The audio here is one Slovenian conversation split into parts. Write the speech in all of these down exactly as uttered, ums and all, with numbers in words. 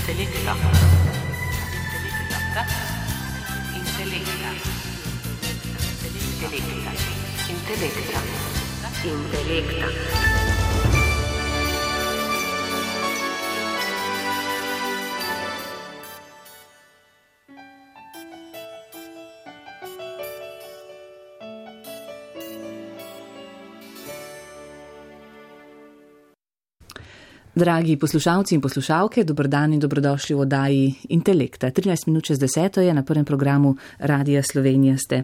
Intelekta. Intelekta. Intelekta. Intelekta. Intelekta. Dragi poslušalci in poslušalke, dobrodan in dobrodošli v oddaji Intelekta. trinajst minut čez deseto je na prvem programu Radia Slovenija ste.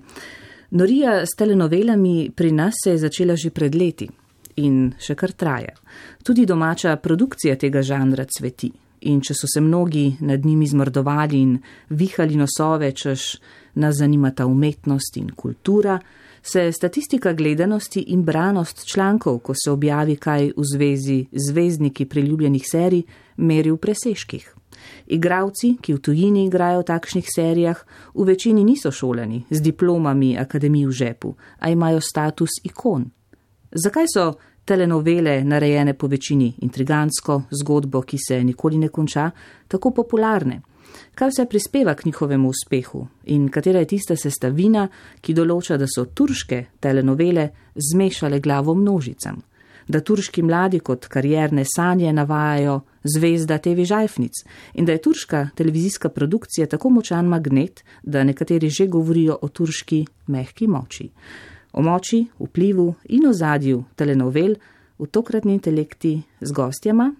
Norija s telenovelami pri nas se je začela že pred leti in še kar traja. Tudi domača produkcija tega žanra cveti. In če so se mnogi nad njimi zmrdovali in vihali nosove, češ nas zanimata umetnost in kultura, se statistika gledanosti in branost člankov, ko se objavi kaj v zvezi z zvezdniki priljubljenih serij, meri v presežkih. Igravci, ki v tujini igrajo v takšnih serijah, v večini niso šolani z diplomami akademij v žepu, a imajo status ikon. Zakaj so telenovele, narejene po večini intrigantsko, zgodbo, ki se nikoli ne konča, tako popularne? Kaj vse prispeva k njihovemu uspehu in katera je tista sestavina, ki določa, da so turške telenovele zmešale glavo množicam, da turški mladi kot karierne sanje navajajo zvezda te ve žajfnic in da je turška televizijska produkcija tako močan magnet, da nekateri že govorijo o turški mehki moči. O moči, vplivu in ozadju telenovel v tokratni Intelekti z gostjama,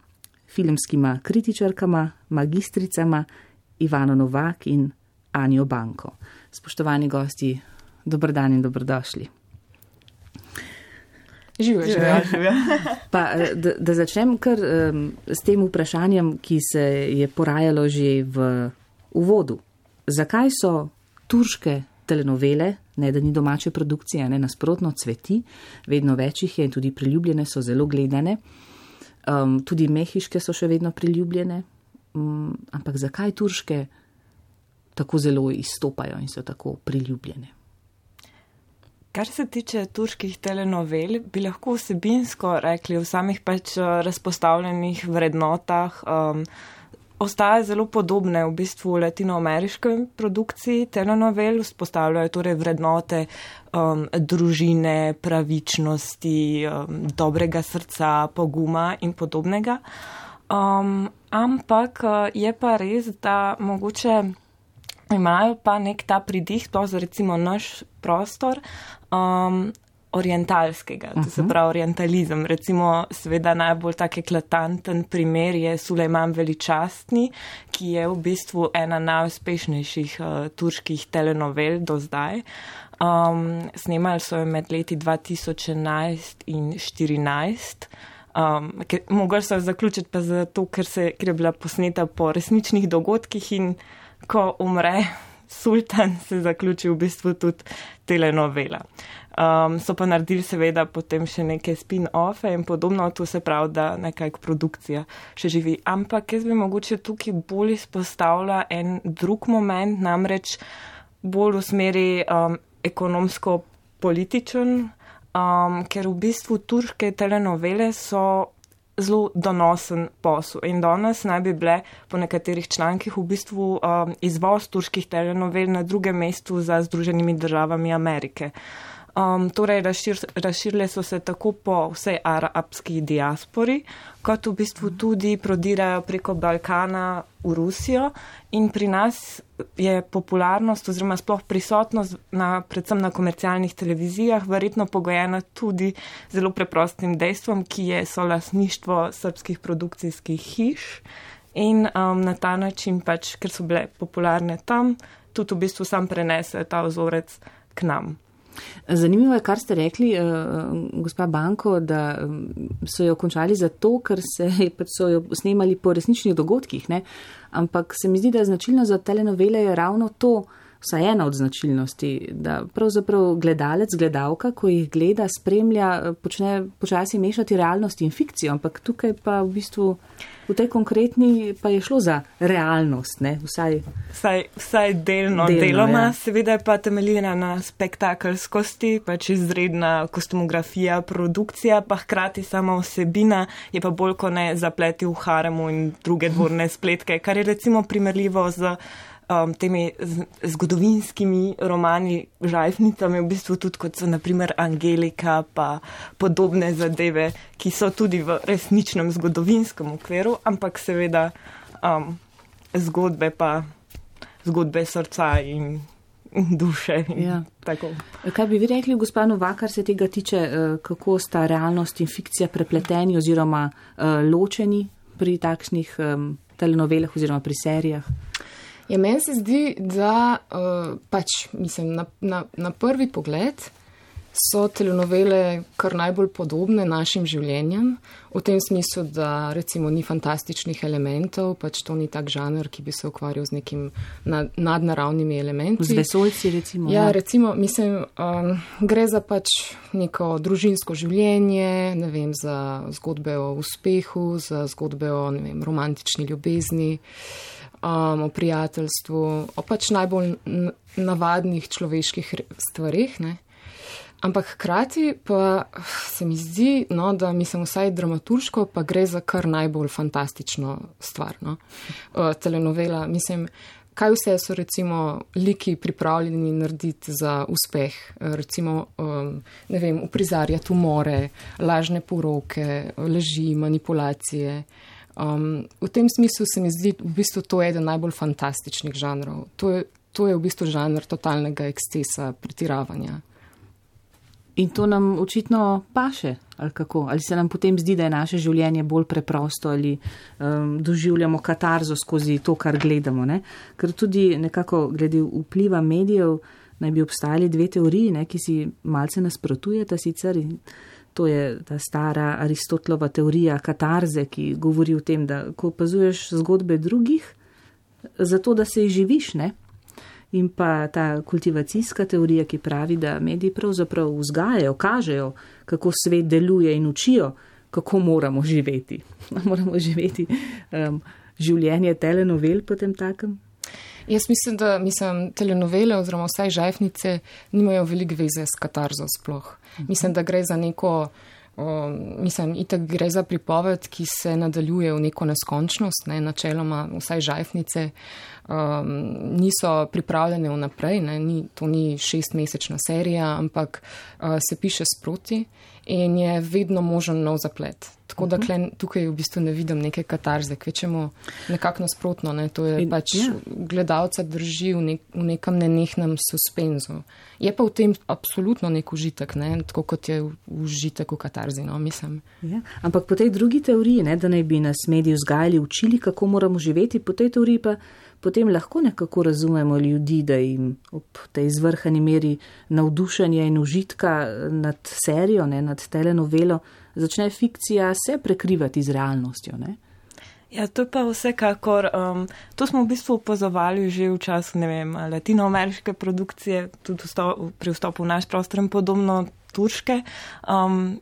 filmskima kritičarkama, magistricama Ivano Novak in Anjo Banko. Spoštovani gosti, dober dan in dobrodošli. Živijo, živijo, živijo. Pa, da, da začnem kar um, s tem vprašanjem, ki se je porajalo že v uvodu. Zakaj so turške telenovele, ne da ni domače produkcije, ne nasprotno cveti, vedno več jih je in tudi priljubljene so zelo gledane, um, tudi mehiške so še vedno priljubljene, um, ampak zakaj turške tako zelo izstopajo in so tako priljubljene? Kar se tiče turških telenovel, bi lahko vsebinsko rekli v samih pač razpostavljenih vrednotah, um, ostaja zelo podobne v bistvu latinoameriškoj produkciji telenovel, vzpostavljajo torej vrednote um, družine, pravičnosti, um, dobrega srca, poguma in podobnega. Um, ampak je pa res, da mogoče imajo pa nek ta pridih, sploh za recimo naš prostor, um, orientalskega, to se pravi orientalizem. Recimo seveda najbolj tak eklatanten primer je Sulejman Veličastni, ki je v bistvu ena najuspešnejših uh, turških telenovel do zdaj. Um, snemali so jo med leti dva tisoč enajst in štirinajst. Um, Mogli so jo zaključiti pa zato, ker, se, ker je bila posneta po resničnih dogodkih in ko umre sultan, se zaključi v bistvu tudi telenovela. Um, so pa naredili seveda potem še neke spin-offe in podobno, to se pravi, da nekako produkcija še živi. Ampak jaz bi mogoče tukaj bolj izpostavila en drug moment, namreč bolj v smeri um, ekonomsko-političen, um, ker v bistvu turške telenovele so zelo donosen posel in danes naj bi bile po nekaterih člankih v bistvu um, izvoz turških telenovel na drugem mestu za Združenimi državami Amerike. Um, torej, razšir, razširile so se tako po vsej arabski diaspori, kot v bistvu tudi prodirajo preko Balkana v Rusijo in pri nas je popularnost oziroma sploh prisotnost na, predvsem na komercialnih televizijah verjetno pogojena tudi zelo preprostim dejstvom, ki je solastništvo srbskih produkcijskih hiš in um, na ta način pač, ker so bile popularne tam, tudi v bistvu sam prenesejo ta vzorec k nam. Zanimivo je, kar ste rekli, uh, gospa Banko, da so jo končali zato, ker se, so jo snemali po resničnih dogodkih, ne? Ampak se mi zdi, da značilno za telenovele je ravno to, vsaj ena od značilnosti, da pravzaprav gledalec, gledalka, ko jih gleda, spremlja, počne počasi mešati realnost in fikcijo, ampak tukaj pa v bistvu v tej konkretni pa je šlo za realnost, ne, vsaj. Vsaj, vsaj delno, delno deloma, ja. Seveda pa temeljina na spektakelskosti, pač izredna kostumografija, produkcija, pa hkrati sama vsebina je pa bolj ko ne zapleti v haremu in druge dvorne spletke, kar je recimo primerljivo z Um, temi zgodovinskimi romani, žajfnicami, v bistvu tudi kot so naprimer Angelika pa podobne zadeve, ki so tudi v resničnem zgodovinskem okviru, ampak seveda um, zgodbe pa zgodbe srca in duše. In ja. Tako. Kaj bi vi rekli, gospa Novak, kar se tega tiče, kako sta realnost in fikcija prepleteni oziroma uh, ločeni pri takšnih um, telenovelah oziroma pri serijah? Ja, meni se zdi, da uh, pač, mislim, na, na, na prvi pogled so telenovele kar najbolj podobne našim življenjem, v tem smislu, da recimo ni fantastičnih elementov, pač to ni tak žanr, ki bi se ukvarjal z nekim nad, nadnaravnimi elementi. Z vesoljci recimo. Ja, recimo, mislim, um, gre za pač neko družinsko življenje, ne vem, za zgodbe o uspehu, za zgodbe o, ne vem, romantični ljubezni, Um, o prijateljstvu, o pač najbolj navadnih človeških stvarih, ne. Ampak hkrati pa se mi zdi, no, da mislim vsaj dramaturško, pa gre za kar najbolj fantastično stvar, no. Uh, telenovela, mislim, kaj vse so recimo liki pripravljeni narediti za uspeh, recimo, um, ne vem, uprizarjati umore, lažne poroke, laži, manipulacije. Um, v tem smislu se mi zdi v bistvu to eden najbolj fantastičnih žanrov. To je, to je v bistvu žanr totalnega ekscesa, pretiravanja. In to nam očitno paše, ali kako? Ali se nam potem zdi, da je naše življenje bolj preprosto ali um, doživljamo katarzo skozi to, kar gledamo, ne? Ker tudi nekako glede vpliva medijev naj bi obstajali dve teoriji, ne, ki si malce nasprotujeta sicer. To je ta stara Aristotelova teorija katarze, ki govori o tem, da ko opazuješ zgodbe drugih, zato da se jih živiš, ne? In pa ta kultivacijska teorija, ki pravi, da mediji pravzaprav vzgajajo, kažejo, kako svet deluje in učijo, kako moramo živeti. Moramo živeti um, življenje telenovel potem takem. Jaz mislim, da mislim, telenovele oziroma vsaj žajfnice nimajo veliko veze s katarzo sploh. Mislim, da gre za neko, um, mislim, itak gre za pripoved, ki se nadaljuje v neko neskončnost, ne, načeloma vsaj žajfnice um, niso pripravljene vnaprej, ne, ni, to ni šestmesečna serija, ampak uh, se piše sproti in je vedno možen nov zaplet. Tako da kle, tukaj v bistvu ne vidim neke katarze, kvečemo nekako nasprotno, ne, to je in, pač ja. Gledalca drži v, nek, v nekem nenehnem suspenzu. Je pa v tem absolutno nek užitek, ne, tako kot je užitek v katarzi, no, mislim. Ja. Ampak po tej drugi teoriji, ne, da naj bi nas mediji vzgajali, učili, kako moramo živeti, po tej teoriji pa potem lahko nekako razumemo ljudi, da jim ob tej zvrhani meri navdušenja in užitka nad serijo, ne, nad telenovelo, začne fikcija se prekrivati z realnostjo, ne? Ja, to je pa vsekakor, um, to smo v bistvu opazovali že v času, ne vem, latinoameriške produkcije, tudi vstop, pri vstopu v naš prostor in podobno turške. Um,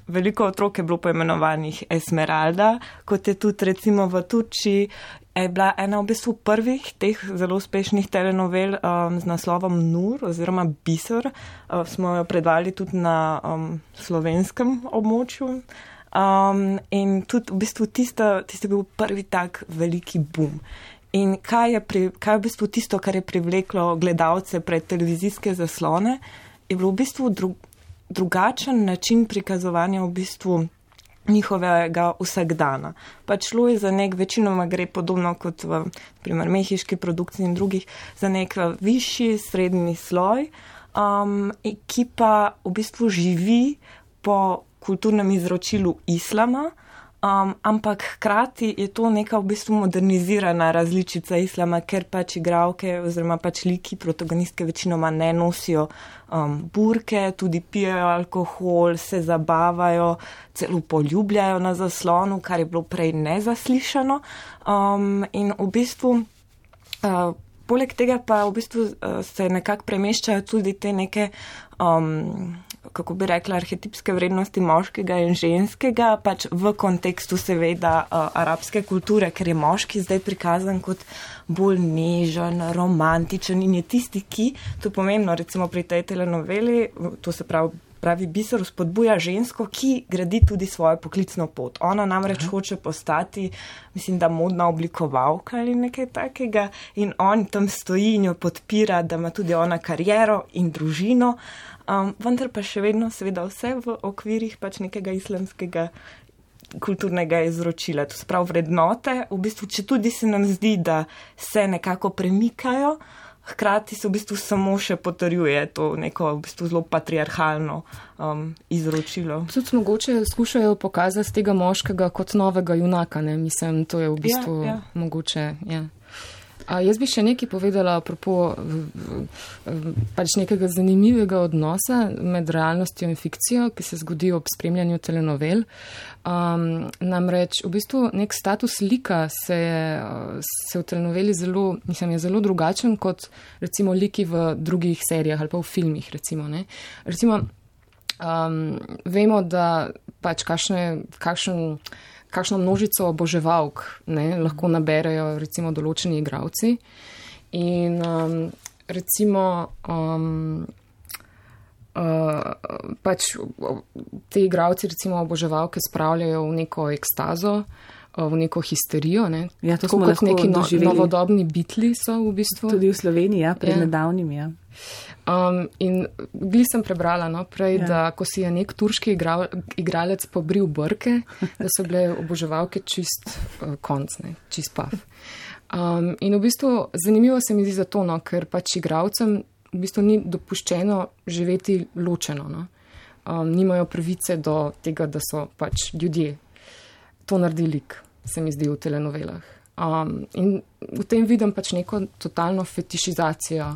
veliko otrok je bilo poimenovanih Esmeralda, kot je tudi recimo v Turčiji, je bila ena v bistvu prvih teh zelo uspešnih telenovel um, z naslovom Nur oziroma Biser. Uh, smo jo predvali tudi na um, slovenskem območju. Um, in tudi v bistvu tisto, tisto je bil prvi tak veliki boom. In kaj je, pri, kaj je v bistvu tisto, kar je privleklo gledalce pred televizijske zaslone, je bilo v bistvu dru, drugačen način prikazovanja v bistvu njihovega vsakdana. Pač šlo je za nek, večinoma gre podobno kot v primer mehiški produkciji in drugih, za nek višji, srednji sloj, um, ki pa v bistvu živi po kulturnem izročilu islama, um, ampak hkrati je to neka v bistvu modernizirana različica islama, ker pač igralke oziroma pač liki, protagonistke večinoma ne nosijo um, burke, tudi pijejo alkohol, se zabavajo, celo poljubljajo na zaslonu, kar je bilo prej nezaslišano. Um, in v bistvu uh, poleg tega pa v bistvu uh, se nekako premeščajo tudi te neke, um, kako bi rekla, arhetipske vrednosti moškega in ženskega, pač v kontekstu seveda uh, arabske kulture, ker je moški zdaj prikazan kot bolj nežen, romantičen in je tisti, ki, to je pomembno, recimo pri tej telenoveli, to se pravi, pravi Biser spodbuja žensko, ki gradi tudi svojo poklicno pot. Ona namreč Aha. hoče postati, mislim, da modna oblikovalka ali nekaj takega in on tam stoji in jo podpira, da ima tudi ona kariero in družino, um, vendar pa še vedno seveda vse v okvirih pač nekega islamskega kulturnega izročila. To se pravi vrednote, v bistvu, če tudi se nam zdi, da se nekako premikajo, hkrati se v bistvu samo še potrjuje to neko v bistvu zelo patriarhalno um, izročilo. Tudi mogoče skušajo pokazati tega moškega kot novega junaka, ne? Mislim, to je v bistvu ja, ja. mogoče, ja. A jaz bi še nekaj povedala apropo pač nekega zanimivega odnosa med realnostjo in fikcijo, ki se zgodi ob spremljanju telenovel. Um, namreč v bistvu nek status lika se, se v telenoveli zelo, mislim, je zelo drugačen kot recimo liki v drugih serijah ali pa v filmih, recimo, ne. Recimo, um, vemo, da pač kakšne, kakšen kakšno množico oboževalk ne, lahko naberejo recimo določeni igravci. In um, recimo um, uh, pač te igravci recimo oboževalke spravljajo v neko ekstazo, v neko histerijo. Ne. Ja, to tako smo kot neki no, doživeli. Novodobni Beatli so v bistvu. Tudi v Sloveniji, ja, pred ja. nedavnim, ja. Um, in bili sem prebrala no, prej, ja. da ko si je nek turški igral, igralec pobril brke, da so bile oboževalke čist uh, konc, ne, čist pav. Um, in v bistvu zanimivo se mi zdi zato, no, ker pač igralcem v bistvu ni dopuščeno živeti ločeno. No. Um, nimajo pravice do tega, da so pač ljudje. To naredi lik, se mi zdi v telenovelah. Um, in v tem vidim pač neko totalno fetišizacijo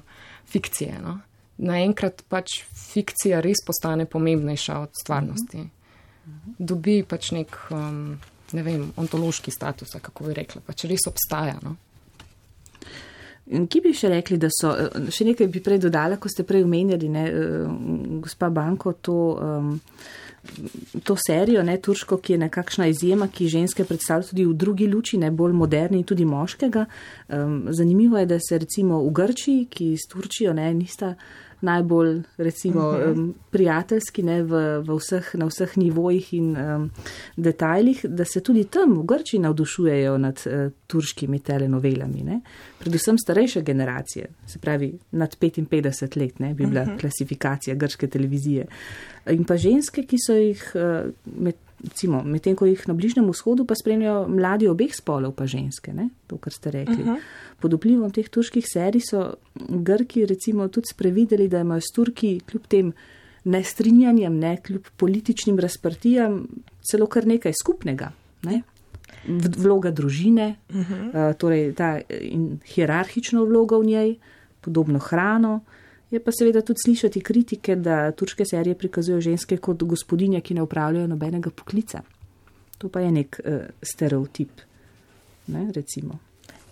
fikcije. No. Naenkrat pač fikcija res postane pomembnejša od stvarnosti. Dobi pač nek, um, ne vem, ontološki status, kako bi rekla, pač res obstaja. No. In ki bi še rekli, da so, še nekaj bi prej dodala, ko ste prej omenjali, ne, gospa Banko, to, um, to serijo, ne, turško, ki je nekakšna izjema, ki ženske predstavlja tudi v drugi luči, ne, bolj moderni in tudi moškega. Um, zanimivo je, da se recimo v Grčiji, ki s Turčijo ne, nista najbolj recimo uh-huh. um, prijateljski ne, v, v vseh, na vseh nivojih in um, detajlih, da se tudi tam v Grčiji navdušujejo nad uh, turškimi telenovelami. Ne. Predvsem starejše generacije, se pravi nad petinpetdeset let, ne, bi bila uh-huh. klasifikacija grške televizije. In pa ženske, ki so jih, uh, med, recimo, medtem ko jih na Bližnjem vzhodu pa spremljajo mladi obeh spolov pa ženske, ne, to, kar ste rekli. Uh-huh. Pod vplivom teh turških serij so Grki recimo tudi sprevideli, da imajo s Turki kljub tem nestrinjanjem, ne, kljub političnim razprtijam celo kar nekaj skupnega. Ne. Vloga družine, uh-huh. uh, torej ta in hierarhično vloga v njej, podobno hrano. Je pa seveda tudi slišati kritike, da turške serije prikazujejo ženske kot gospodinje, ki ne upravljajo nobenega poklica. To pa je nek uh, stereotip, ne, recimo.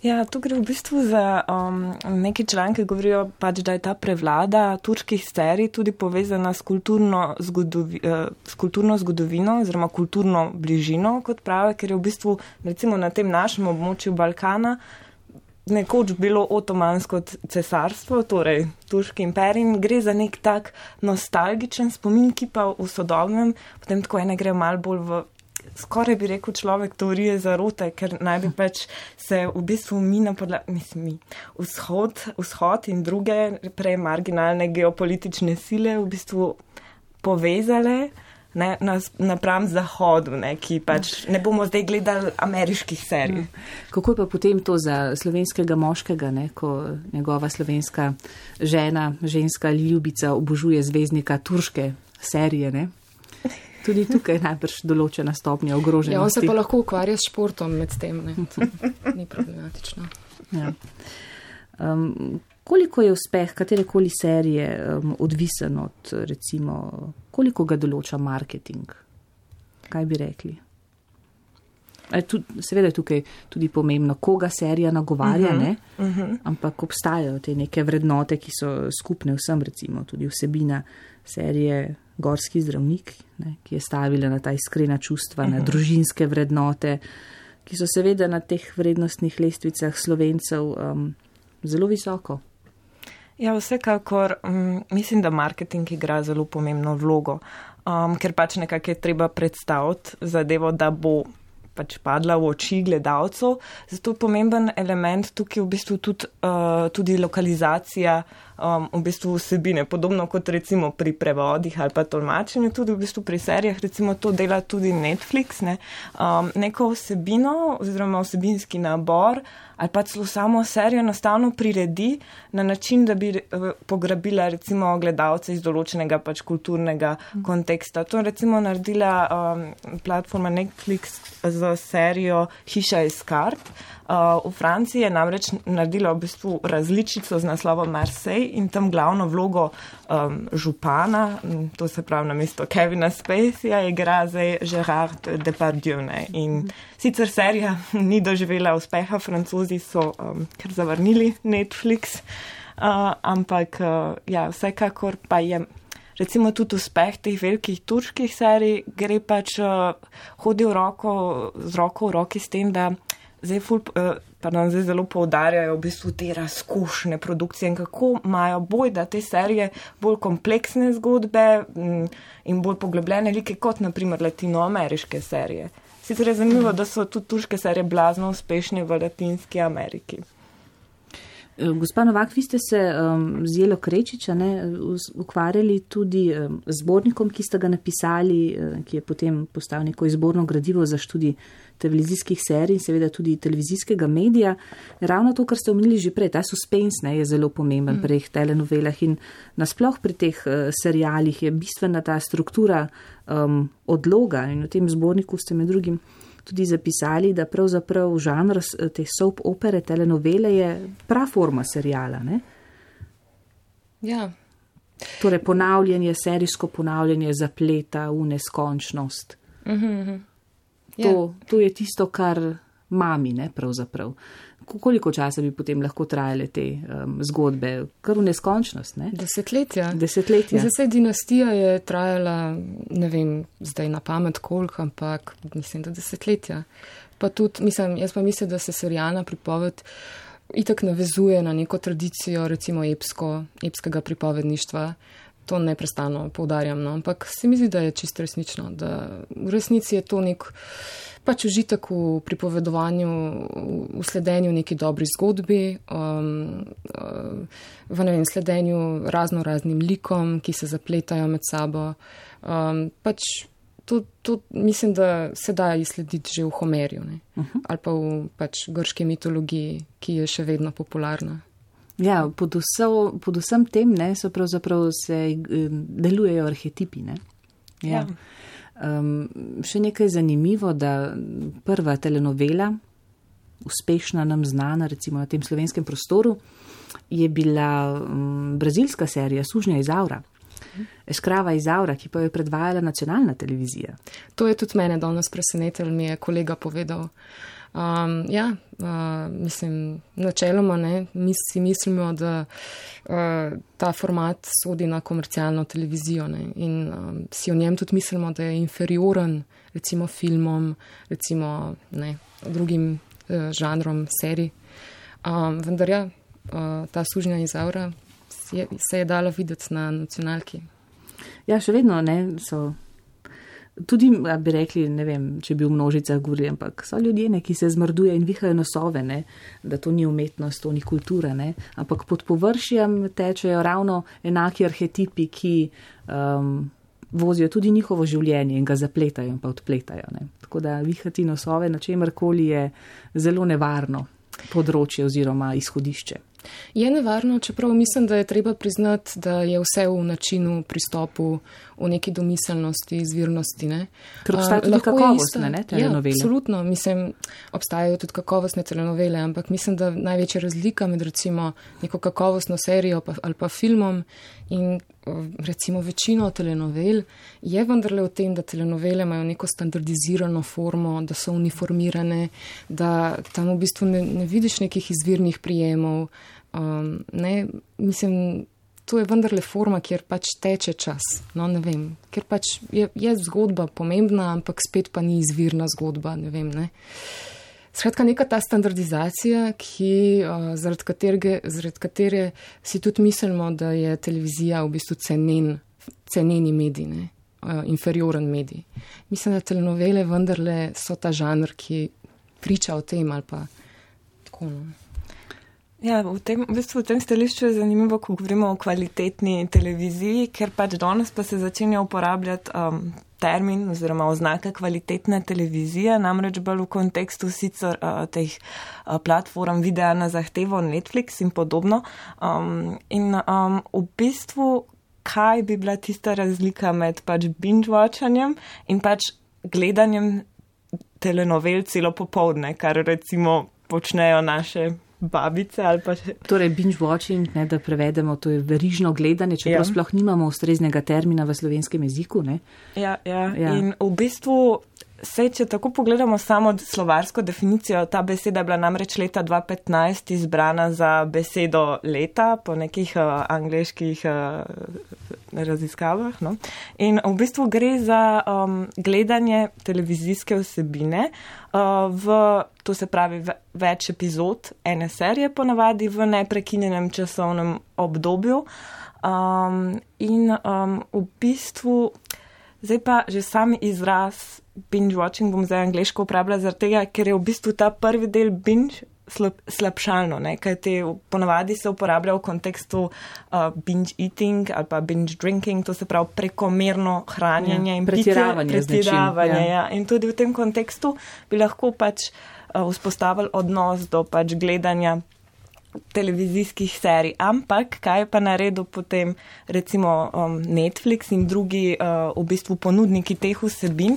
Ja, tu gre v bistvu za um, neki članki, govorijo pač, da je ta prevlada turških serij tudi povezana s kulturno, zgodovi, uh, s kulturno zgodovino oziroma kulturno bližino, kot prave, ker je v bistvu recimo na tem našem območju Balkana nekoč bilo otomansko cesarstvo, torej turški imperij, in gre za nek tak nostalgičen spomin, ki pa v sodobnem, potem tako ene gre malo bolj v, skoraj bi rekel človek, teorije zarote, ker naj bi pač se v bistvu mi na podlagi, mislim mi, vzhod, vzhod in druge prej marginalne geopolitične sile v bistvu povezale, ne, napram zahodu, ne, ki pač ne bomo zdaj gledali ameriških serij. Kako je pa potem to za slovenskega moškega, ne, ko njegova slovenska žena, ženska ljubica obožuje zvezdnika turške serije, ne? Tudi tukaj je najbrž določena stopnja ogroženosti. Ja, on se pa lahko ukvarja s športom med tem, ne? To ni problematično. Ja. Um, koliko je uspeh katerekoli serije um, odvisen od, recimo, koliko ga določa marketing? Kaj bi rekli? Tud, seveda je tukaj tudi pomembno, koga serija nagovarja, uh-huh, ne? Uh-huh. Ampak obstajajo te neke vrednote, ki so skupne vsem, recimo tudi vsebina serije Gorski zdravnik, ne? Ki je stavila na ta iskrena čustva, uh-huh, na družinske vrednote, ki so seveda na teh vrednostnih lestvicah Slovencev um, zelo visoko. Ja, vsekakor um, mislim, da marketing igra zelo pomembno vlogo, um, ker pač nekako je treba predstaviti zadevo, da bo pač padla v oči gledalcev. Zato je pomemben element tukaj v bistvu tudi, uh, tudi lokalizacija um, v bistvu vsebine. Podobno kot recimo pri prevodih ali pa tolmačenju, tudi v bistvu pri serijah, recimo to dela tudi Netflix, ne? Um, neko vsebino oziroma vsebinski nabor ali pa celo samo serijo enostavno priredi na način, da bi pograbila recimo gledalce iz določenega pač kulturnega konteksta. To je recimo naredila um, platforma Netflix za serijo Hiša iz kart. Uh, v Franciji je namreč naredila v bistvu različico z naslovom Marseille in tam glavno vlogo um, župana, to se pravi na mesto Kevina Spaceyja, igra zdaj Gérard Depardieu. Ne? In sicer serija ni doživela uspeha, Francozi so um, kar zavrnili Netflix, uh, ampak uh, ja, vsekakor pa je recimo tudi uspeh teh velikih turških serij gre pač uh, hodi v roko, z roko v roki s tem, da Zdaj, ful, pardon, zdaj zelo poudarjajo v bistvu te razkošne produkcije in kako imajo boj, da te serije bolj kompleksne zgodbe in bolj poglobljene like kot naprimer latinoameriške serije. Sicer je zanimivo, da so tudi turške serije blazno uspešne v Latinski Ameriki. Gospa Novak, vi ste se um, z Jelo Krečiča ne, ukvarjali tudi um, zbornikom, ki ste ga napisali, um, ki je potem postal neko izborno gradivo za študij televizijskih serij in seveda tudi televizijskega medija. Ravno to, kar ste omenili že prej, ta suspens ne, je zelo pomemben mm. pri teh telenovelah in nasploh pri teh uh, serialih je bistvena ta struktura um, odloga in v tem zborniku ste med drugim tudi zapisali, da pravzaprav žanr te soap opere, telenovele je praforma serijala, ne? Ja. Torej ponavljanje, serijsko ponavljanje zapleta v neskončnost. Mm-hmm. To, to je tisto, kar mami, ne, pravzaprav. Koliko časa bi potem lahko trajale te um, zgodbe? Kar v neskončnost, ne? Desetletja. Desetletja. Zdaj, dinastija je trajala, ne vem, zdaj na pamet koliko, ampak mislim, da desetletja. Pa tudi, mislim, jaz pa mislim, da se serialna pripoved itak navezuje na neko tradicijo, recimo epsko, epskega pripovedništva. To neprestano poudarjam, no? Ampak se mi zdi, da je čisto resnično, da v resnici je to nek pač užitek v pripovedovanju, v sledenju neki dobri zgodbi, um, v ne vem, sledenju razno raznim likom, ki se zapletajo med sabo. Um, pač to, to mislim, da se da izslediti že v Homerju, ne? Uh-huh. Ali pa v pač grški mitologiji, ki je še vedno popularna. Ja, pod, vso, pod vsem tem ne, so pravzaprav se delujejo arhetipi. Ne? Ja. Ja. Um, še nekaj zanimivo, da prva telenovela, uspešna nam znana recimo na tem slovenskem prostoru, je bila um, brazilska serija Sužnja iz Aura. Eskrava iz Aura, ki pa jo je predvajala nacionalna televizija. To je tudi mene danes presenetilo, mi je kolega povedal. Um, ja, uh, mislim, načeloma ne, mi si mislimo, da uh, ta format sodi na komercialno televizijo ne, in um, si o njem tudi mislimo, da je inferioren recimo filmom, recimo ne, drugim uh, žanrom serij. Um, vendar ja, uh, ta Sužnja iz Aura je, se je dala videti na nacionalki. Ja, še vedno ne, so... Tudi, bi rekli, ne vem, če bi v množicah govorili, ampak so ljudje, ne, ki se zmrduje in vihajo nosove, ne, da to ni umetnost, to ni kultura, ne, ampak pod površjem tečejo ravno enaki arhetipi, ki um, vozijo tudi njihovo življenje in ga zapletajo in pa odpletajo. Ne. Tako da vihati nosove na čemerkoli je zelo nevarno področje oziroma izhodišče. Je nevarno, čeprav mislim, da je treba priznati, da je vse v načinu, pristopu, v neki domiselnosti, izvirnosti. Ne? Ker obstajajo tudi kakovostne ne, telenovele. Ja, absolutno. Mislim, obstajajo tudi kakovostne telenovele, ampak mislim, da največja razlika med recimo neko kakovostno serijo pa, ali pa filmom in recimo večino telenovel je vendarle v tem, da telenovele imajo neko standardizirano formo, da so uniformirane, da tam v bistvu ne, ne vidiš nekih izvirnih prijemov. Um, ne, mislim, to je vendarle forma, kjer pač teče čas. No, ne vem, ker pač je, je zgodba pomembna, ampak spet pa ni izvirna zgodba, ne vem, ne. Skratka, neka ta standardizacija, ki, uh, zaradi, katerege, zaradi katere si tudi mislimo, da je televizija v bistvu cenen, ceneni medij, ne? Uh, inferioren medij. Mislim, da telenovele vendarle so ta žanr, ki priča o tem ali pa tako, no. Ja, v tem, v bistvu v tem stališču je zanimivo, ko govorimo o kvalitetni televiziji, ker pač danes pa se začenja uporabljati um, termin oziroma oznaka kvalitetna televizija, namreč bolj v kontekstu sicer uh, teh uh, platform videa na zahtevo Netflix in podobno. Um, in um, v bistvu, kaj bi bila tista razlika med pač binge-watchanjem in pač gledanjem telenovel celo popoldne, kar recimo počnejo naše babice ali pa še... Torej binge watching, ne, da prevedemo, to je verižno gledanje, čeprav ja. sploh nimamo ustreznega termina v slovenskem jeziku, ne? Ja, ja, ja. In v bistvu se, če tako pogledamo samo slovarsko definicijo, ta beseda je bila namreč leta dva petnajst izbrana za besedo leta po nekih uh, angleških uh, raziskavah, no? In v bistvu gre za um, gledanje televizijske vsebine uh, v, to se pravi, v, več epizod ene serije ponavadi v neprekinjenem časovnem obdobju. Um, in um, v bistvu zdaj pa že sam izraz binge watching bom zdaj angleško uporabljala zaradi tega, ker je v bistvu ta prvi del binge slab, slabšalno, ne, kaj te ponavadi se uporablja v kontekstu uh, binge eating ali pa binge drinking, to se pravi prekomerno hranjenje ja, in pretiravanje. Pretiravanje, ja. ja. In tudi v tem kontekstu bi lahko pač uh, vzpostavili odnos do pač gledanja televizijskih serij, ampak kaj je pa naredil potem recimo um, Netflix in drugi uh, v bistvu ponudniki teh vsebin.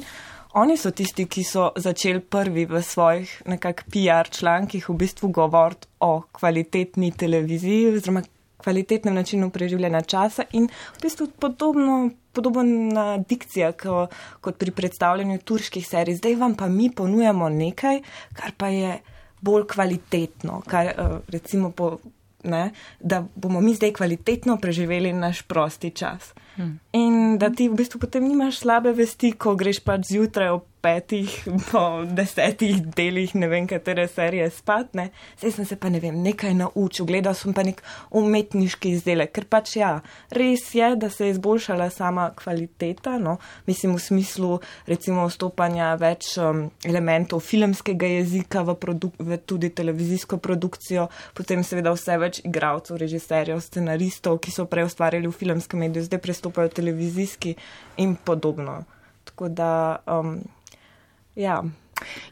Oni so tisti, ki so začeli prvi v svojih nekak P R člankih v bistvu govoriti o kvalitetni televiziji oziroma kvalitetnem načinu preživljanja časa in v bistvu podobno, podobna dikcija ko, kot pri predstavljanju turških serij. Zdaj vam pa mi ponujamo nekaj, kar pa je bolj kvalitetno, kar recimo po, ne, da bomo mi zdaj kvalitetno preživeli naš prosti čas. Hmm. In da ti v bistvu potem nimaš slabe vesti, ko greš pač zjutraj ob petih, po desetih delih, ne vem, katere serije spat, ne. Zdaj sem se pa, ne vem, nekaj naučil, gledal sem pa nek umetniški izdelek, ker pač ja, res je, da se je izboljšala sama kvaliteta, no, mislim v smislu recimo vstopanja več um, elementov filmskega jezika v, produk- v tudi televizijsko produkcijo, potem seveda vse več igralcev, režiserjev, scenaristov, ki so prej ustvarjali v filmskem mediju, zdaj prestopajo televizijski in podobno. Tako da, um, ja.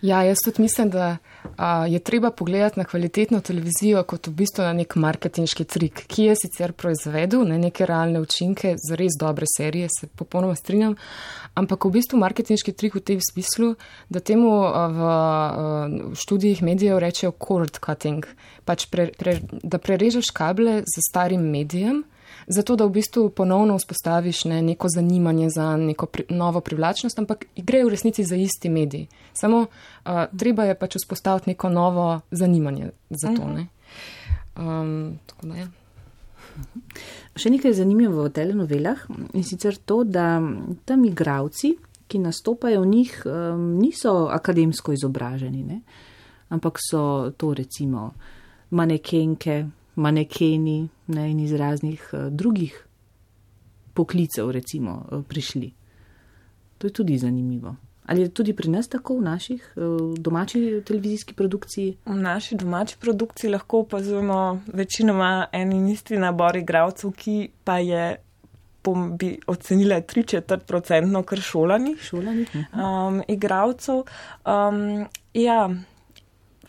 Ja, jaz tudi mislim, da a, je treba pogledati na kvalitetno televizijo kot v bistvu na nek marketinški trik, ki je sicer proizvedel ne, neke realne učinke za res dobre serije, se popolnoma strinjam, ampak v bistvu marketinški trik v tem smislu, da temu a, v, a, v študijih medijev rečejo cord cutting, pač pre, pre, da prerežeš kable za starim medijem, zato da v bistvu ponovno vzpostaviš ne, neko zanimanje za neko pri, novo privlačnost, ampak gre v resnici za isti medij. Samo uh, treba je pač vzpostaviti neko novo zanimanje za to. Ne. Um, tako da, ja. Še nekaj zanimivo v telenovelah in sicer to, da tam igravci, ki nastopajo v njih, um, niso akademsko izobraženi, ne, ampak so to recimo manekenke, manekeni ne, in iz raznih uh, drugih poklicev recimo uh, prišli. To je tudi zanimivo. Ali je tudi pri nas tako v naših uh, domači televizijski produkciji? V naši domači produkciji lahko opazujemo večinoma en in isti nabor igralcev, ki pa je bi ocenila tri četrt procentno kar šolanih, šolanih um, igralcev. Um, ja,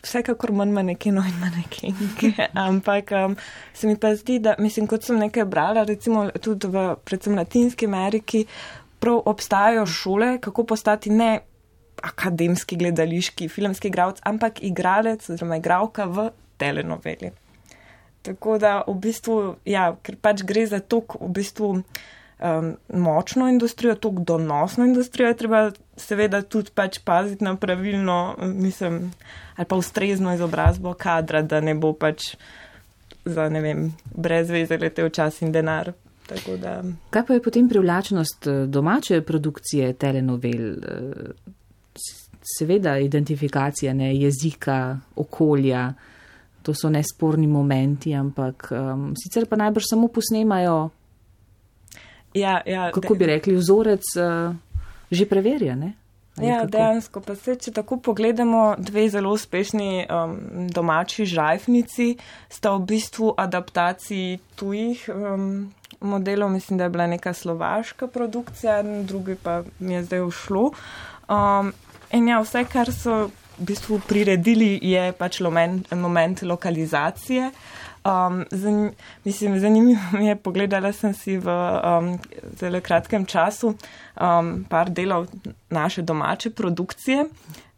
vsekakor manj manekenov in manekenke, ampak um, se mi pa zdi, da, mislim, kot sem nekaj brala, recimo tudi v predvsem Latinski Ameriki, prav obstajajo šole, kako postati ne akademski gledališki filmski igralec, ampak igralec oziroma igralka v telenoveli. Tako da v bistvu, ja, ker pač gre za tok v bistvu um, močno industrijo, tok donosno industrijo, je treba seveda tudi pač paziti na pravilno, mislim, ali pa ustrezno izobrazbo kadra, da ne bo pač za, ne vem, brez veze letel čas in denar. Tako da. Kaj pa je potem privlačnost domače produkcije telenovel? Seveda identifikacija, ne, jezika, okolja, to so nesporni momenti, ampak um, sicer pa najbrž samo posnemajo, ja, ja, kako bi rekli, vzorec uh, že preverja, ne? Ali ja, kako? dejansko, pa se, če tako pogledamo, dve zelo uspešni um, domači žajfnici sta v bistvu adaptaciji tujih um, modelov, mislim, da je bila neka slovaška produkcija, drugi pa mi je zdaj ušlo. Um, In ja, vse, kar so v bistvu priredili, je pač moment, moment lokalizacije. Um, zanim, mislim, zanimivo mi je, pogledala sem si v um, zelo kratkem času um, par delov naše domače produkcije.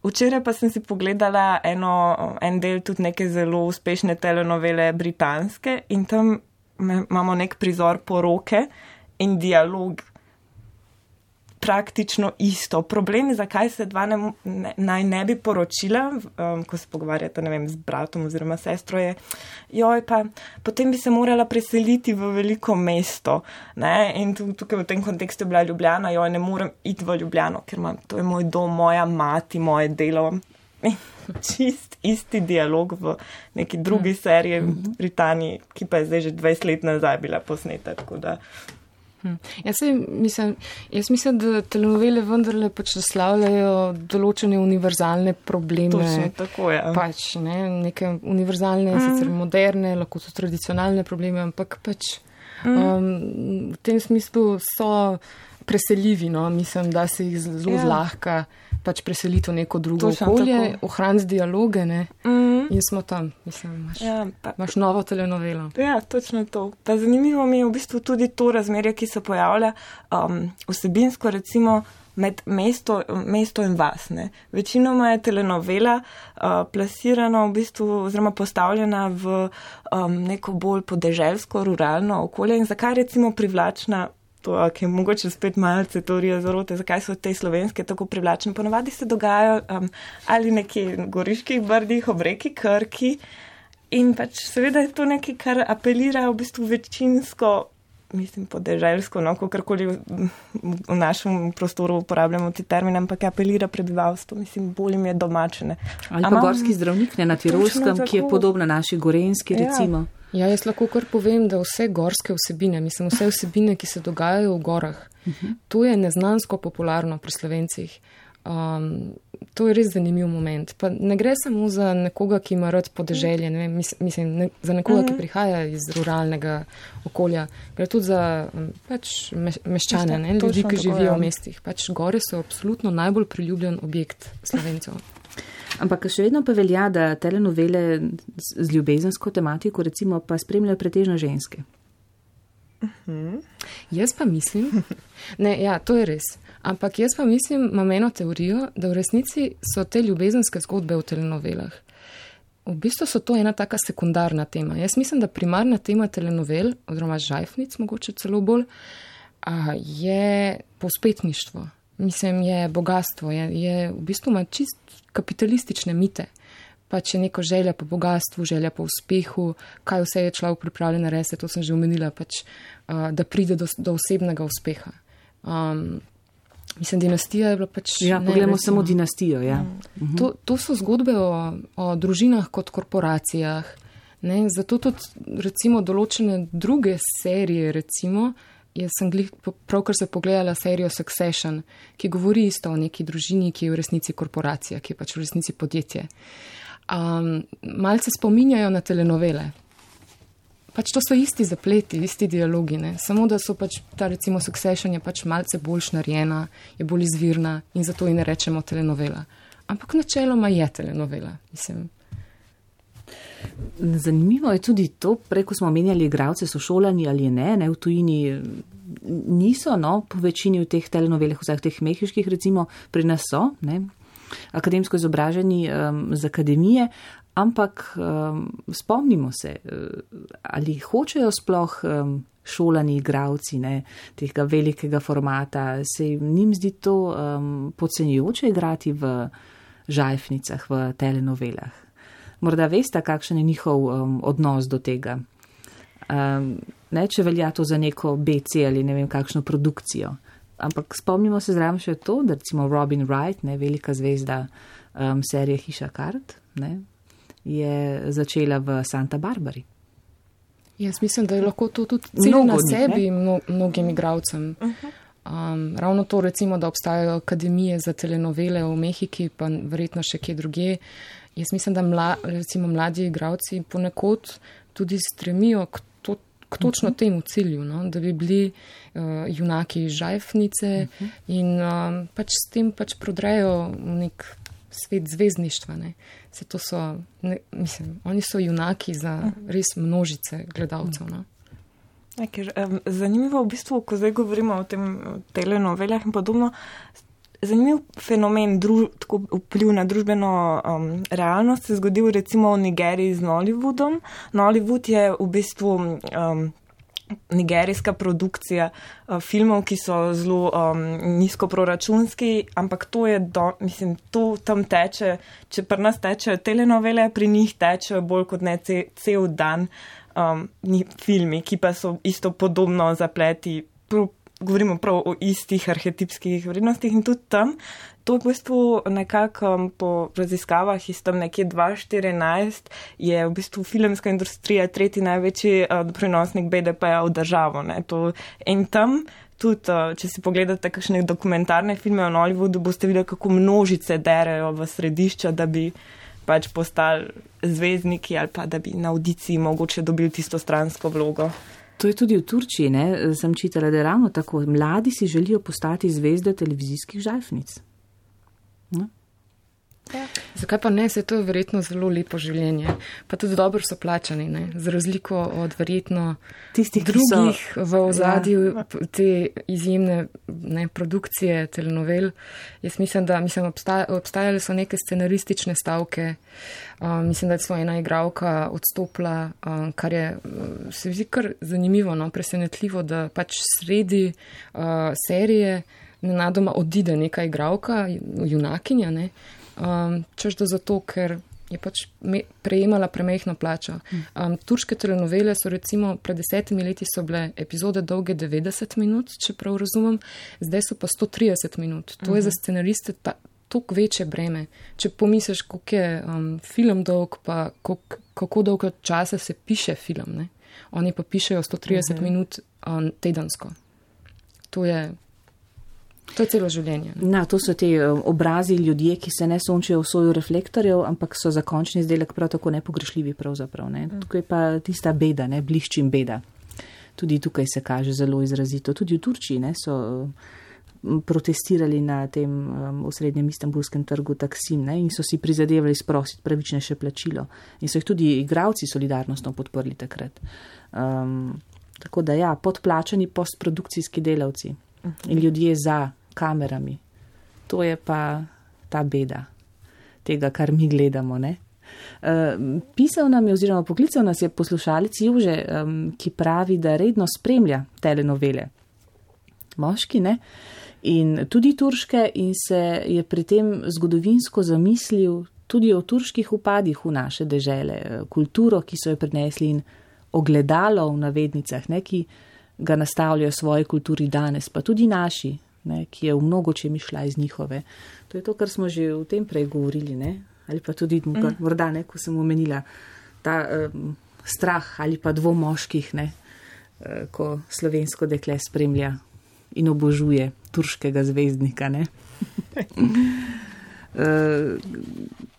Včeraj pa sem si pogledala eno, en del tudi neke zelo uspešne telenovele britanske in tam imamo nek prizor poroke in dialog. Praktično isto. Problem je, zakaj se dva ne, ne, naj ne bi poročila, um, ko se pogovarjata, ne vem, z bratom oziroma sestro je, joj, pa potem bi se morala preseliti v veliko mesto, ne, in tukaj v tem kontekstu je bila Ljubljana, joj, ne morem iti v Ljubljano, ker imam, to je moj dom, moja mati, moje delo. Čist isti dialog v neki drugi seriji v Britaniji, ki pa je zdaj že dvajset let nazaj bila posneta, tako da. Jaz, mislim, jaz mislim, da telenovele vendarle pač naslavljajo določene univerzalne probleme. Točno, tako je. Pač, ne, neke univerzalne, mm. sicer moderne, lahko so tradicionalne probleme, ampak pač mm. um, v tem smislu so preseljivi, no, mislim, da se jih zelo yeah. zlahka pač preseliti v neko drugo Točno, okolje, ohraniti dialoge, ne, mm. in smo tam, mislim, imaš, ja, pa, imaš novo telenovelo. Ja, točno to. Pa zanimivo mi je v bistvu tudi to razmerje, ki se pojavlja um, vsebinsko, recimo, med mesto, mesto in vas, ne. Večinoma je telenovela uh, plasirana v bistvu, oziroma postavljena v um, neko bolj podeželsko, ruralno okolje in zakaj recimo privlačna to, ki je mogoče spet malce teorija zarote, zakaj so te slovenske tako privlačne. Ponavadi se dogajajo um, ali nekje v goriških brdih, ob reki Krki in pač seveda je to nekaj, kar apelira v bistvu večinsko, mislim, podeželsko, no, kakorkoli v, v našem prostoru uporabljamo ti termine, ampak apelira prebivalstvo, mislim, bolj jim je domačene. Ali pa Ama, gorski zdravnik, ne, na Tirolskem, ki je podobna naši gorenski, recimo. Ja. Ja, jaz lahko kar povem, da vse gorske vsebine, mislim, vse vsebine, ki se dogajajo v gorah, uh-huh. to je neznansko popularno pri Slovencih. Um, to je res zanimiv moment. Pa ne gre samo za nekoga, ki ima rad podeželje, ne vem, mislim, ne, za nekoga, uh-huh. ki prihaja iz ruralnega okolja. Gre tudi za pač meščane, ne, ljudi, ki živijo v mestih. Pač gore so absolutno najbolj priljubljen objekt Slovencev. Ampak še vedno pa velja, da telenovele z ljubezensko tematiko recimo pa spremljajo pretežno ženske. Uh-huh. Jaz pa mislim, ne, ja, to je res, ampak jaz pa mislim, imam eno teorijo, da v resnici so te ljubezenske zgodbe v telenovelah. V bistvu so to ena taka sekundarna tema. Jaz mislim, da primarna tema telenovel, oziroma žajfnic, mogoče celo bolj, a, je povzpetništvo. Mislim, je bogatstvo, je, je v bistvu ima čist kapitalistične mite. Pač je neko želja po bogatstvu, želja po uspehu, kaj vse je človek pripravljen narediti, to sem že omenila, pač, uh, da pride do, do osebnega uspeha. Um, mislim, dinastija je bila pač... Ja, ne, pogledamo recimo, samo dinastijo, ja. Uh-huh. To, to so zgodbe o, o družinah kot korporacijah, ne, zato tudi recimo določene druge serije, recimo, jaz sem glih, pravkar se pogledala serijo Succession, ki govori isto o neki družini, ki je v resnici korporacija, ki je pač v resnici podjetje. Um, malce spominjajo na telenovele. Pač to so isti zapleti, isti dialogi, ne? Samo da so pač ta recimo Succession je pač malce boljš narejena, je bolj izvirna in zato ji ne rečemo telenovela. Ampak načeloma je telenovela, mislim. Zanimivo je tudi to, preko smo omenjali igralce, so šolani ali ne, ne, v tujini niso, no, po večini v teh telenovelih, vseh teh mehiških recimo, pri nas so, ne, akademsko izobraženi um, z akademije, ampak um, spomnimo se, ali hočejo sploh um, šolani igravci ne, tega velikega formata, se njim zdi to um, podcenjujoče igrati v žajfnicah, v telenovelah. Morda veste, kakšen je njihov um, odnos do tega. Um, ne, če velja to za neko B C ali ne vem kakšno produkcijo. Ampak spomnimo se zraven še to, da recimo Robin Wright, ne, velika zvezda um, serije Hiša kart, ne, je začela v Santa Barbari. Jaz mislim, da je lahko to tudi cilj na sebi mno, mnogim igravcem. Um, ravno to recimo, da obstajajo akademije za telenovele v Mehiki, pa verjetno še kje drugje. Jaz mislim, da mla, recimo mladi igravci ponekod tudi stremijo k, to, k točno temu cilju, no? Da bi bili uh, junaki žajfnice uh-huh. in um, pač s tem pač prodrejo nek svet zvezdništva. Ne? Se to so, ne, mislim, oni so junaki za res množice gledalcev. No? Ja, ker, um, zanimivo v bistvu, ko zdaj govorimo o tem telenovelah in podobno, zanimiv fenomen, druž, tako vpliv na družbeno um, realnost se zgodil recimo v Nigeriji z Nollywoodom. Nollywood je v bistvu um, nigerijska produkcija uh, filmov, ki so zelo um, nizkoproračunski, ampak to je, do, mislim, to tam teče, če pri nas tečejo telenovele, pri njih tečejo bolj kot ne ce, cel dan um, filmi, ki pa so isto podobno zapleti, prav, govorimo prav o istih arhetipskih vrednostih in tudi tam. To je v bistvu nekako um, po raziskavah iz tam nekje dva tisoč štirinajst je v bistvu filmska industrija tretji največji uh, prenosnik B D P-ja v državo. Ne. To, in tam tudi, uh, če si pogledate kakšne dokumentarne filme o Nollywoodu, boste videli, kako množice derejo v središča, da bi pač postali zvezdniki ali pa da bi na audiciji mogoče dobili tisto stransko vlogo. To je tudi v Turčiji, ne? Sem čitala, da je ravno tako. Mladi si želijo postati zvezde televizijskih žajfnic. No. Ja. Zakaj pa ne, se to je verjetno zelo lepo življenje, pa tudi dobro so plačani, ne? Za razliko od verjetno tistih drugih so, v ozadju ja. Te izjemne ne, produkcije telenovel. Jaz mislim, da mislim, obstaja, obstajale so neke scenaristične stavke, um, mislim, da je svoja ena igralka odstopila, um, kar je se mi zdi kar zanimivo, no, presenetljivo, da pač sredi uh, serije nenadoma odide neka igralka, junakinja, ne, Um, češ da zato, ker je pač me, prejemala premehno plačo. Um, turške telenovele so recimo pred desetimi leti so bile epizode dolge devetdeset minut, če prav razumem, zdaj so pa sto trideset minut. To uh-huh. je za scenariste ta, toliko večje breme. Če pomisliš, koliko je um, film dolg, pa koliko, kako dolgo časa se piše film, ne? Oni pa pišejo sto trideset uh-huh. minut um, tedensko. To je To je celo življenje. Na, to so te obrazi ljudje, ki se ne sončijo v soju reflektorjev, ampak so za končni izdelek prav tako nepogrešljivi pravzaprav. Ne. Tukaj pa tista beda, ne, bliščim beda. Tudi tukaj se kaže zelo izrazito. Tudi v Turčiji ne, so protestirali na tem um, osrednjem istanbulskem trgu Taksim ne, in so si prizadevali sprositi pravičnejše plačilo. In so jih tudi igravci solidarnostno podprli takrat. Um, tako da ja, podplačani postprodukcijski delavci. In ljudje za kamerami. To je pa ta beda tega, kar mi gledamo. Ne? Uh, pisal nam je oziroma poklical nas je poslušalec Jože, um, ki pravi, da redno spremlja telenovele. Moški, ne? In tudi turške in se je pri tem zgodovinsko zamislil tudi o turških upadih v naše dežele, kulturo, ki so jo prinesli in ogledalo v navednicah, ne, ki ga nastavljajo svoji kulturi danes, pa tudi naši, ne, ki je v mnogočem išla iz njihove. To je to, kar smo že v tem prej govorili, ne, ali pa tudi mm. morda, ne, ko sem omenila ta um, strah ali pa dvom moških, ne, uh, ko slovensko dekle spremlja in obožuje turškega zvezdnika, ne. Uh,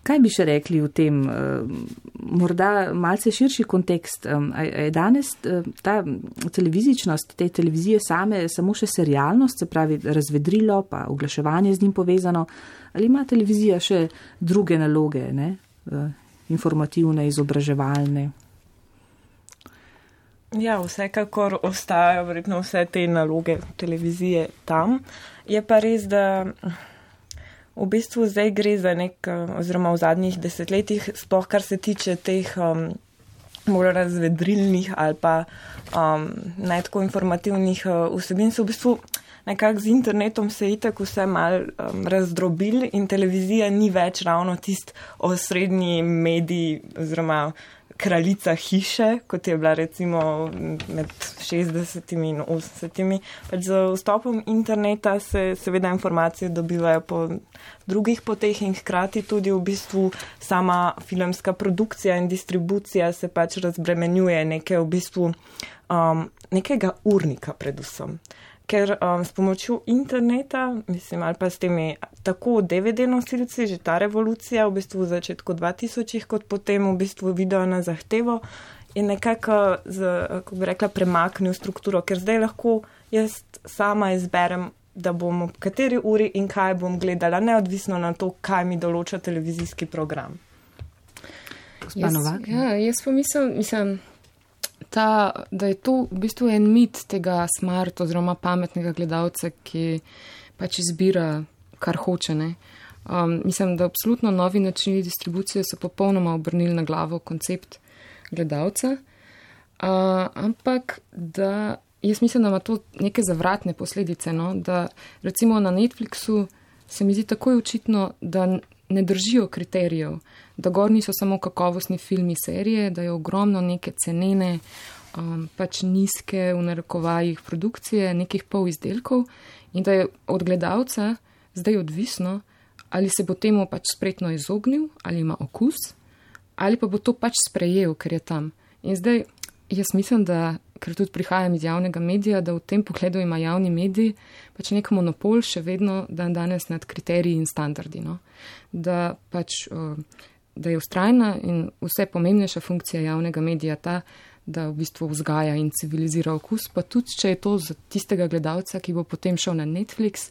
kaj bi še rekli v tem, uh, morda malce širši kontekst, um, je danes uh, ta televizičnost, te televizije same samo še serialnost, se pravi razvedrilo, pa oglaševanje z njim povezano, ali ima televizija še druge naloge, ne? Uh, informativne, izobraževalne? Ja, vsekakor ostajajo verjetno vse te naloge televizije tam. Je pa res, da v bistvu zdaj gre za nek, oziroma v zadnjih desetletjih, sploh kar se tiče teh um, bolj razvedrilnih ali pa um, ne tako informativnih uh, vsebin, so v bistvu nekako z internetom se itak vse mal um, razdrobil in televizija ni več ravno tist osrednji medij oziroma kraljica hiše, kot je bila recimo med šestdesetimi in osemdesetimi. Pač z vstopom interneta se seveda informacije dobivajo po drugih poteh in hkrati tudi v bistvu sama filmska produkcija in distribucija se pač razbremenjuje neke v bistvu um, nekega urnika predvsem. Ker um, s pomočjo interneta, mislim, ali pa s temi tako D V D nosilci, že ta revolucija v bistvu v začetku dvatisočih, kot potem v bistvu video na zahtevo, je nekako, z, kako bi rekla, premaknil strukturo, ker zdaj lahko jaz sama izberem, da bom ob kateri uri in kaj bom gledala, neodvisno na to, kaj mi določa televizijski program. Jaz, ja, jaz pa mislim, mislim Ta, da je to v bistvu en mit tega smart oziroma pametnega gledalca, ki pač izbira, kar hoče. Ne? Um, mislim, da absolutno novi načini distribucije so popolnoma obrnili na glavo koncept gledalca, uh, ampak da jaz mislim, da ima to neke zavratne posledice. No? Da recimo na Netflixu se mi zdi takoj očitno, da ne držijo kriterijev, da gor niso samo kakovostni filmi serije, da je ogromno neke cenene, um, pač nizke v narekovajih produkcije, nekih pol izdelkov in da je od gledalca zdaj odvisno, ali se bo temu pač spretno izognil, ali ima okus, ali pa bo to pač sprejel, ker je tam. In zdaj jaz mislim, da, ker tudi prihajam iz javnega medija, da v tem pogledu ima javni medij pač nek monopol še vedno dan danes nad kriteriji in standardi. No? Da pač, da je vztrajna in vse pomembnejša funkcija javnega medija ta, da v bistvu vzgaja in civilizira okus, pa tudi, če je to za tistega gledalca, ki bo potem šel na Netflix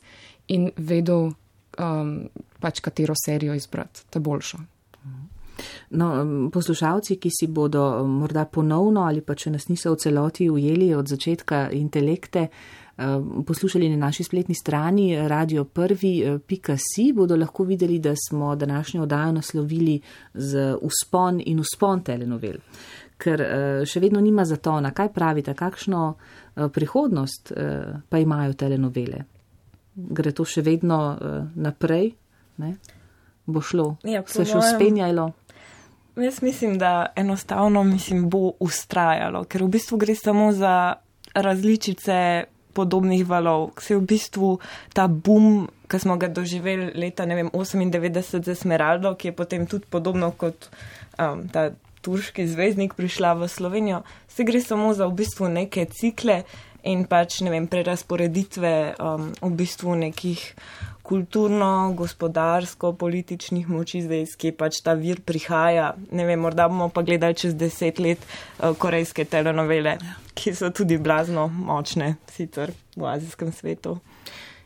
in vedel um, pač katero serijo izbrati, ta boljšo. No, poslušalci, ki si bodo morda ponovno ali pa če nas niso v celoti ujeli od začetka intelekte, poslušali na naši spletni strani radio prvi pika si, bodo lahko videli, da smo današnjo oddajo naslovili z vzpon in vzpon telenovel. Ker še vedno nima zatona. Kaj pravite, kakšno prihodnost pa imajo telenovele? Gre to še vedno naprej? Ne? Bo šlo? Ja, se še uspenjalo? Jaz mislim, da enostavno mislim, bo ustrajalo, ker v bistvu gre samo za različice podobnih valov. Se v bistvu ta boom, ki smo ga doživeli leta, ne vem, osemindevetdeset za Smeraldo, ki je potem tudi podobno kot um, ta turški zvezdnik prišla v Slovenijo, se gre samo za v bistvu neke cikle in pač, ne vem, prerasporeditve um, v bistvu nekih kulturno, gospodarsko, političnih moči zdaj, ki pač ta vir prihaja. Ne vem, morda bomo pa gledali čez deset let uh, korejske telenovele, ki so tudi blazno močne sicer v azijskem svetu.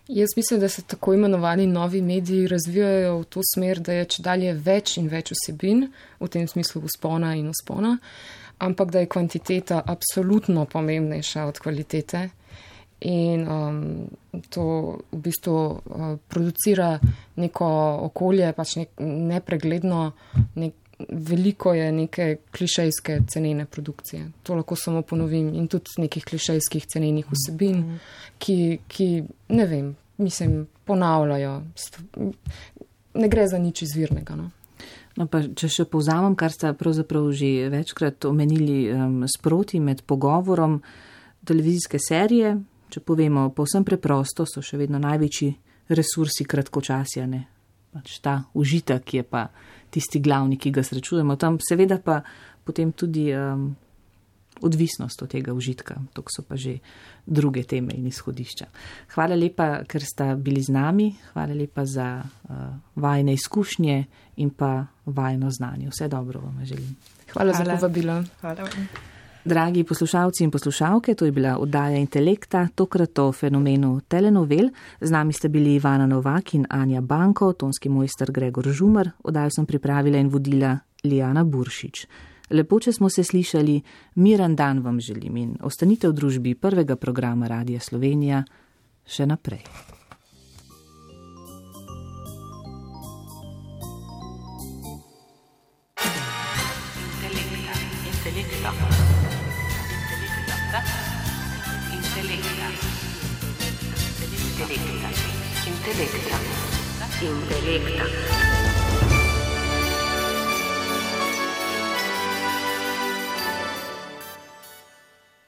Jaz mislim, da se tako imenovani novi mediji razvijajo v to smer, da je čedalje več in več vsebin, v tem smislu vzpona in vzpona, ampak da je kvantiteta absolutno pomembnejša od kvalitete. In um, to v bistvu uh, producira neko okolje, pač nek, nepregledno, nek, veliko je neke klišejske cenene produkcije. To lahko samo ponovim in tudi nekih klišejskih cenenih vsebin, ki, ki ne vem, mislim, ponavljajo. Ne gre za nič izvirnega, no. No, pa če še povzamem, kar sta pravzaprav že večkrat omenili um, sproti med pogovorom, televizijske serije, če povemo povsem preprosto, so še vedno največji resursi kratkočasja, ne? Pač ta užitek je pa tisti glavni, ki ga srečujemo. Tam seveda pa potem tudi um, odvisnost od tega užitka. To so pa že druge teme in izhodišča. Hvala lepa, ker sta bili z nami. Hvala lepa za uh, vajne izkušnje in pa vajno znanje. Vse dobro vam želim. Hvala, Hvala. za povabilo. Hvala. Dragi poslušalci in poslušalke, to je bila oddaja Intelekta, tokrat o fenomenu telenovel. Z nami sta bili Ivana Novak in Anja Banko, tonski mojster Gregor Žumer, oddajo sem pripravila in vodila Lijana Buršič. Lepo, če smo se slišali, miren dan vam želim in ostanite v družbi prvega programa Radia Slovenija še naprej. Intelekta. Intelekta. Intelekta. Intelekta. Intelekta.